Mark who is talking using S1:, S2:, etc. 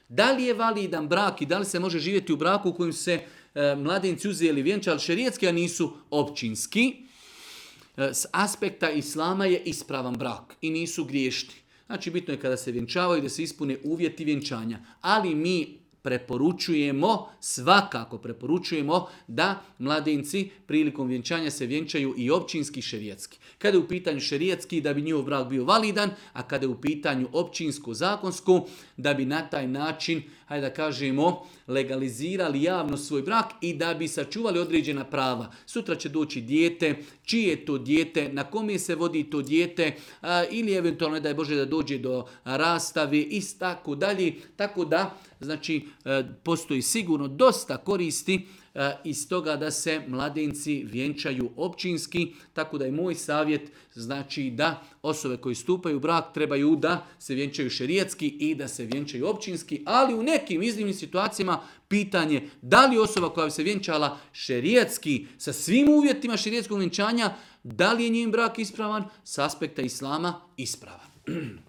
S1: Da li je validan brak i da li se može živjeti u braku u kojem se mladenci uzeli vjenčali šerijetski, a nisu općinski? S aspekta islama je ispravan brak i nisu griješni. Znači bitno je kada se vjenčavaju da se ispune uvjeti vjenčanja. Ali mi svakako preporučujemo da mladenci prilikom vjenčanja se vjenčaju i općinski i šerijetski. Kada je u pitanju šerijetski da bi njihov brak bio validan, a kada je u pitanju općinsko zakonsko da bi na taj način, hajde da kažemo, legalizirali javno svoj brak i da bi sačuvali određena prava. Sutra će doći dijete, čije je to dijete, na kome se vodi to dijete ili eventualno daj Bože da dođe do rastave i tako dalje. Tako da, znači, postoji sigurno dosta koristi iz toga da se mladenci vjenčaju općinski, tako da je moj savjet znači da osobe koje stupaju u brak trebaju da se vjenčaju šerijetski i da se vjenčaju općinski, ali u nekim iznimnim situacijama pitanje da li osoba koja bi se vjenčala šerijetski sa svim uvjetima šerijetskog vjenčanja, da li je njen brak ispravan, s aspekta islama ispravan.